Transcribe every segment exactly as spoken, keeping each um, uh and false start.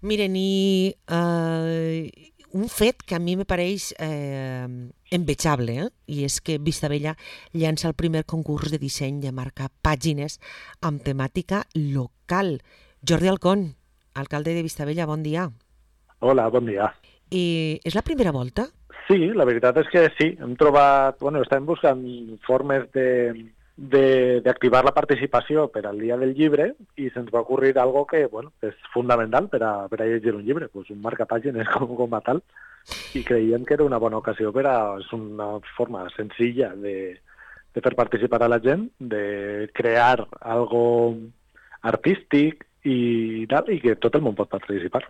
Miren, i eh, un fet que a mi me pareix eh, envejable, eh? I és que Vistabella llança el primer concurs de disseny de marcar pàgines amb temàtica local. Jordi Alcón, alcalde de Vistabella, bon dia. Hola, bon dia. I és la primera volta? Sí, la veritat és que sí, hem trobat, bueno, estem buscant formes de de- d'activar la participació per al dia del llibre i se'ns va ocurrir algo que, bueno, és fundamental per a, per a llegir un llibre, pues un marcapàgines com, com a tal, i creiem que era una bona ocasió per a, és una forma senzilla de, de fer participar a la gent, de crear algo artístic i tal, i que tot el món pot participar.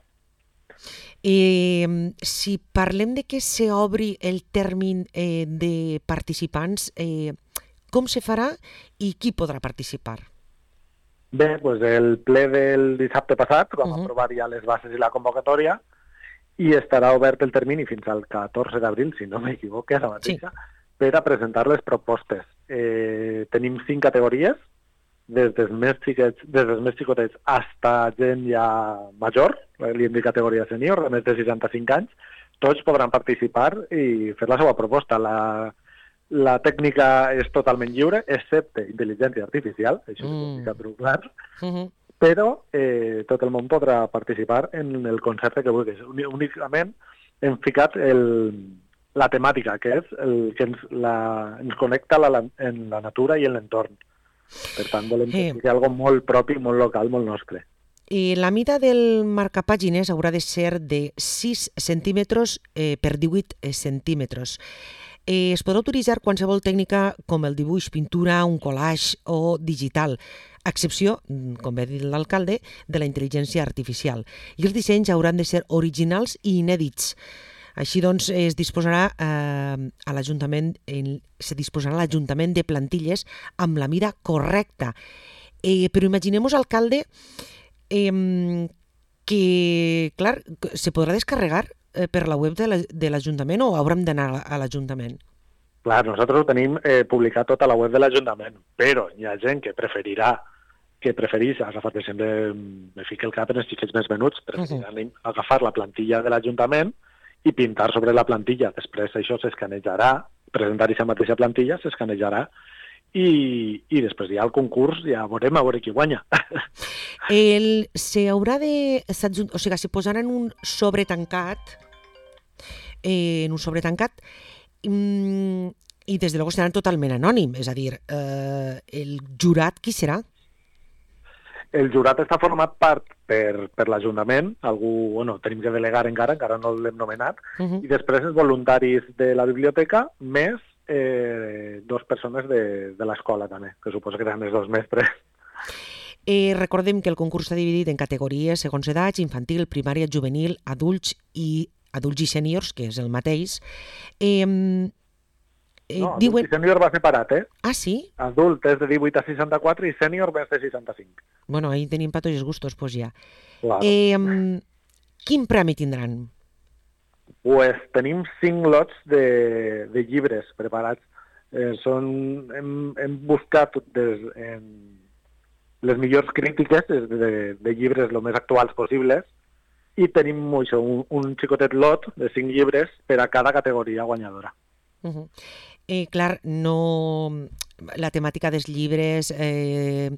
I mm, si parlem de que s'obri el termini eh, de participants, eh, com se farà i qui podrà participar? Bé, doncs el ple del dissabte passat Uh vam -huh. aprovar ja les bases i la convocatòria i estarà obert el termini fins al catorze d'abril, si no m'equivoco, ara Sí. mateixa, per a presentar les propostes. Eh, tenim cinc categories, des dels més xiquets, des dels més xicotets hasta gent ja major, li hem dit categoria sènior, de més de seixanta-cinc anys, tots podran participar i fer la seva proposta. La, la tècnica és totalment lliure, excepte intel·ligència artificial, això sí que ho Mm. dic a truc clar, Uh -huh. però eh, tot el món podrà participar en el concepte que vulguis. Uni- Únicament hem ficat el, la temàtica, que és el que ens, la, ens connecta la, la, en la natura i en l'entorn. Per tant, volem que Eh, sigui algo molt propi, molt local, molt nostre. I la mida del marcapàgines haurà de ser de sis centímetres eh, per divuit centímetres. Eh, es podrà utilitzar qualsevol tècnica com el dibuix, pintura, un collage o digital, a excepció, mm, com bé ha dit l'alcalde, de la intel·ligència artificial. I els dissenys hauran de ser originals i inèdits. Així doncs, es disposarà eh, a l'Ajuntament en- se disposarà a l'Ajuntament de plantilles amb la mida correcta. Eh, però imaginem-vos, alcalde, eh, que, clar, se podrà descarregar eh, per la web de la- de l'Ajuntament o haurem d'anar a l'Ajuntament? Clar, nosaltres ho tenim eh, publicat tot a la web de l'Ajuntament, però hi ha gent que preferirà, que preferís agafar, per exemple, me fica el cap en els xiquets més venuts, preferiran uh -huh. agafar la plantilla de l'Ajuntament i pintar sobre la plantilla. Després això s'escanejarà, presentar aquesta mateixa plantilla, s'escanejarà i, i després ja el concurs ja veurem a veure qui guanya. El, se haurà de... s'adjun- O sigui, se posarà en un sobre tancat, eh, en un sobre tancat, mm, i des de luego seran totalment anònim, és a dir, eh, el jurat qui serà? El jurat està format part per, per l'Ajuntament, algú, bueno, tenim que delegar encara, encara no l'hem nomenat, Uh -huh. i després els voluntaris de la biblioteca, més eh, dos persones de, de l'escola també, que suposo que seran els dos mestres. Eh, recordem que el concurs està dividit en categories segons edats, infantil, primària, juvenil, adults i adults i sèniors, que és el mateix. Eh, eh, No, adult diuen... i sènior va separat, eh? Ah, sí? Adult és de divuit a seixanta-quatre i sènior més de seixanta-cinc. Bueno, ahí tenim pa tots els gustos, pues ja. Claro. Eh, quin premi tindran? Pues tenim cinc lots de, de llibres preparats. Eh, són, hem, hem buscat des, en les millors crítiques de, de llibres el més actuals possibles i tenim això, un, un xicotet lot de cinc llibres per a cada categoria guanyadora. Uh -huh. eh, clar, no... La temàtica dels llibres... Eh,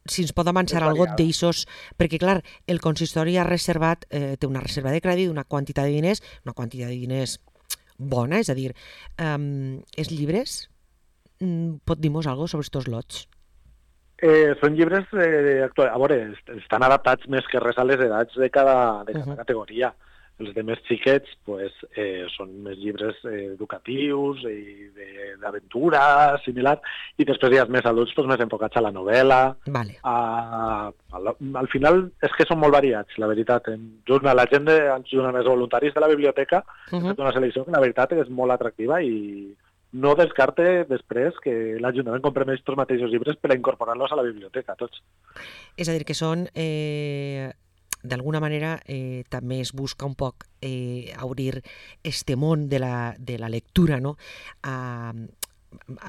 si ens pot avançar És algo variada. d'eixos, perquè clar, el consistori ha reservat, eh, té una reserva de crèdit, una quantitat de diners, una quantitat de diners bona, és a dir, eh, els llibres, mm, pot dir-nos alguna cosa sobre estos lots? Eh, són llibres, eh, actuals, a veure, est- estan adaptats més que res a les edats de cada, de cada Uh-huh. categoria. Els de més xiquets pues, eh, són més llibres eh, educatius i de- d'aventura, similar, i després hi ha els més adults pues, més enfocats a la novel·la. Vale. A, a la, al final és que són molt variats, la veritat. En, junt a la gent, de, junt amb els voluntaris de la biblioteca, Uh hem -huh. fet una selecció que la veritat és molt atractiva i no descarte després que l'Ajuntament comprem aquests mateixos llibres per a incorporar-los a la biblioteca, tots. És a dir, que són... Eh, d'alguna manera eh, també es busca un poc eh, obrir este món de la, de la lectura, no? A,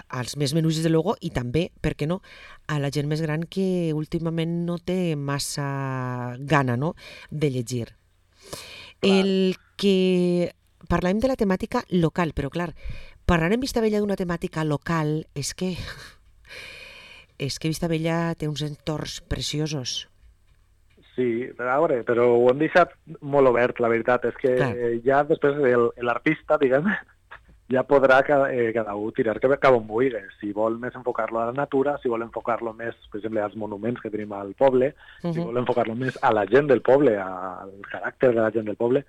als més menuts, de luego, i també, per què no, a la gent més gran que últimament no té massa gana, no?, de llegir. Clar. El que... Parlàvem de la temàtica local, però clar, parlar en Vistabella d'una temàtica local és que... és que Vistabella té uns entorns preciosos. Sí, a veure, però ho hem deixat molt obert, la veritat. És que Clar. ja després l'artista, diguem, ja podrà cada, eh, cada un tirar cap on vulgui. Si vol més enfocar-lo a la natura, si vol enfocar-lo més, per exemple, als monuments que tenim al poble, uh -huh. si vol enfocar-lo més a la gent del poble, al caràcter de la gent del poble,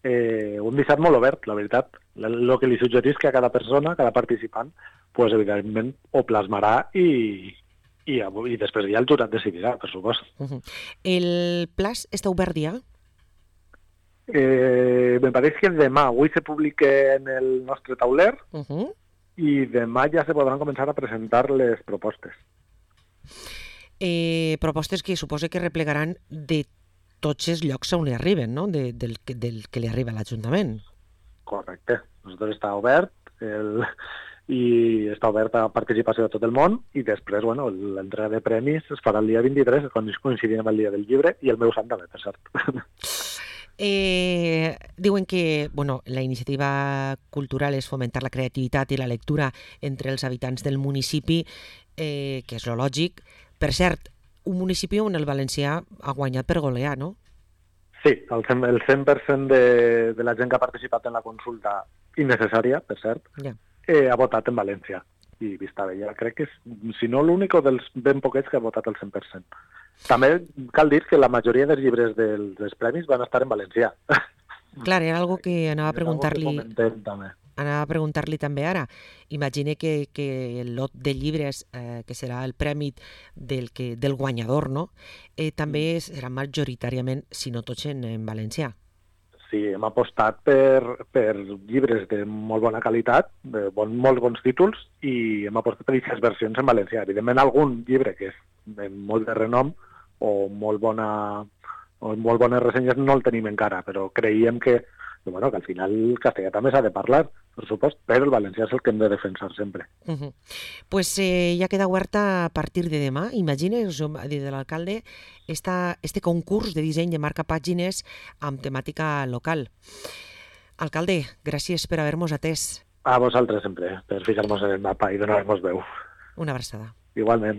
eh, ho hem deixat molt obert, la veritat. El que li suggerís que a cada persona, a cada participant, pues, evidentment ho plasmarà i... I, i després ja el jurat decidirà, per supost. Uh -huh. El plaç està obert ja? Eh, me pareix que demà, avui se publica en el nostre tauler uh -huh. i demà ja se podran començar a presentar les propostes. Eh, propostes que suposo que replegaran de tots els llocs on hi arriben, no? De, del, del que li arriba a l'Ajuntament. Correcte. Nosaltres està obert el... i està oberta a participació de tot el món i després, bueno, l'entrega de premis es farà el dia vint-i-tres, quan coincidim amb el dia del llibre, i el meu sant també, per cert. Eh, diuen que bueno, la iniciativa cultural és fomentar la creativitat i la lectura entre els habitants del municipi, eh, que és lo lògic. Per cert, un municipi on el valencià ha guanyat per golear, no? Sí, el cent, el cent per cent de, de la gent que ha participat en la consulta, innecessària, per cert, ja. Eh, ha votat en València i Vistabella. Crec que és, si no, l'únic dels ben poquets que ha votat el cent per cent. També cal dir que la majoria dels llibres dels, dels premis van estar en valencià. Clar, era algo que anava a preguntar-li anava a preguntar-li també ara. Imagine que, que el lot de llibres, eh, que serà el premi del, que, del guanyador, no? Eh, també serà majoritàriament, si no tots, en, en valencià. Sí, hem apostat per, per llibres de molt bona qualitat, de bon, molts bons títols, i hem apostat per aquestes versions en valencià. Evidentment, algun llibre que és de molt de renom o molt, bona, o molt bones ressenyes no el tenim encara, però creiem que, bueno, que al final el castellà també s'ha de parlar, per supost, però el valencià és el que hem de defensar sempre. Uh -huh. Pues eh, ja queda oberta a partir de demà. Imagines, ha dit l'alcalde, esta, este concurs de disseny de marcapàgines amb temàtica local. Alcalde, gràcies per haver-nos atès. A vosaltres sempre, per ficar-nos en el mapa i donar-nos veu. Una abraçada. Igualment.